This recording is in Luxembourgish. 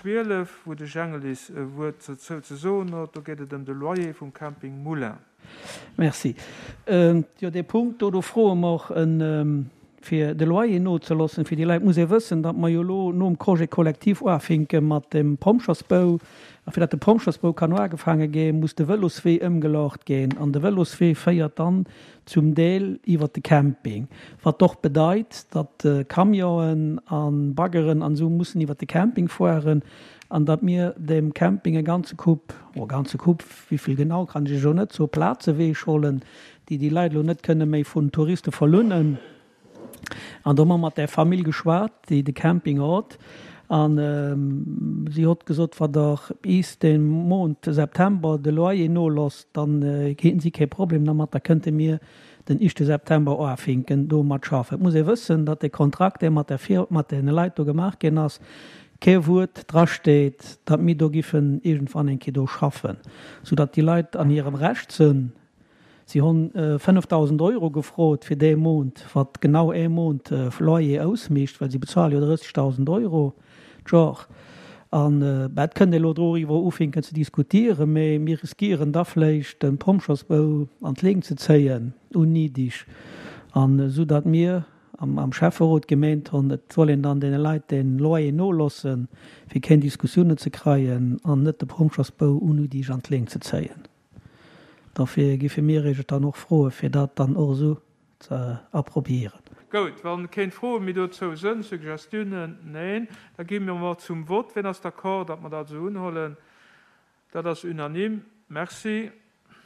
12, wou de Jängelis e Wuert dozou ze soen huet. Do geet et ëm de Loyer vum Camping Moulin. Merci. Jo, dee Punkt do, do froe mer och en, fir de Loyer nozeloossen fir déi Leit. Muss ee wëssen, datt mer jo elo nom Congé collectif uafinke mat dem Pompjersbou. A fir datt de Pompjersbou kann uagefaange ginn, muss de Vëloswee ëmgelaucht ginn. An de Vëloswee féiert dann zum Deel iwwert de Camping, wat och bedeit, datt Camionen a Baggeren an esou mussen iwwert de Camping fueren an datt mir dem Camping e ganze Koup, oh e ganze Koup, wéivill genau kann ech Iech elo net soen, Plaze weechhollen, déi déi Leit elo net kënne méi vun Touriste verlunnen. An do hu mer mat där Famill geschwat, déi de Camping hott. A si hott gesot, wa Der bis de Mount September de Loyer nolosst, dann hätten si kee Problem dermat, da kënnte mir den ischte September uafinken domat schaffen. Et muss ee wëssen, datt dee Kontrakt, dee mat der Fir, mat deene Leit do gemaach ginn ass, kee Wuert drasteet, datt mir do giffen iergendwann eng Kéier do schaffen, soudatt déi Leit an hirem Recht sënn, Si honn 5.000 Euro gefrot fir dee Mount, wat genau ee Mount Loyer ausmécht, well si bezuale jo 30.000 Euro d'Jor. An bah, et kënnt ee elo doriwwer ufinken ze diskutieren, mee mir riskieren da vléicht de Pompjersbou an d'Leeng ze zéien, unniedig, an esou datt mir am Schäfferot gemeent honn, et soll een dann deene Leit dee Loyer nolossen, fir keng Diskussiounen ze kreien an net de Pompjersbou unniedig an d'Leeng ze zéien. Dofir giffe mir Iech et dann och froen, fir dat dann och esou ze approbieren. Goud, wann keen Froen méi dozou sënn, Suggestiounen? Neen. Da gi mir mol zum Vott. Wien ass d'accord, datt mer dat esou unhollen? Dat ass unanime. Merci.